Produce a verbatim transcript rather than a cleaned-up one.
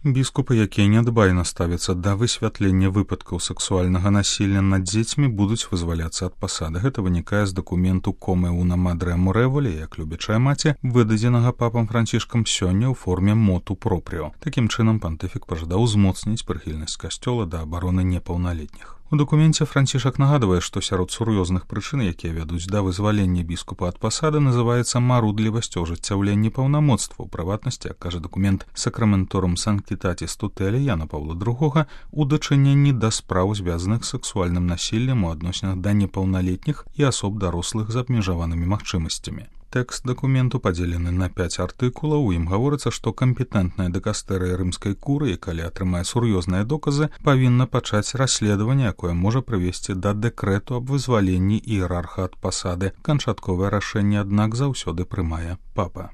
Біскупы, якія нядбайна ставяцца да высвятлення выпадкаў сексуальнага насілля над дзецьмі, будуць вызваляцца ад пасады. Гэта вынікае з дакументу «Come una madre amorevole», як любячая маці, выдадзенага папам Францішкам сёння ў форме моту пропріо. Такім чынам пантыфік пажадаў узмоцніць прыхільнасць касцёла да абароны непаўналетніх. У дакуменце Францішак нагадвае, што сярод сур'ёзных прычын, якія вядуць да вызвалення біскупа ад пасады, называецца марудлівасць у ажыццяўленні паўнамоцтва. У прыватнасці, як кажа дакумент «Сакраменторум Санктітатіс Тутелі» Яна Паўла другога, у дачыненні да спраў, звязаных з сексуальным насіллем у адносінах да непаўналетніх і асоб дарослых з абмежаванымі магчымасцямі. Тэкст дакументу падзелены на пяць артыкулаў. У ім гаворыцца, што кампетэнтная дыкастэрыя рымскай курыі, калі атрымае сур'ёзныя доказы, павінна пачаць расследаванне, якое можа прывесці да дэкрэту аб вызваленні іерарха ад пасады. Канчатковае рашэнне, аднак, заўсёды прымае папа.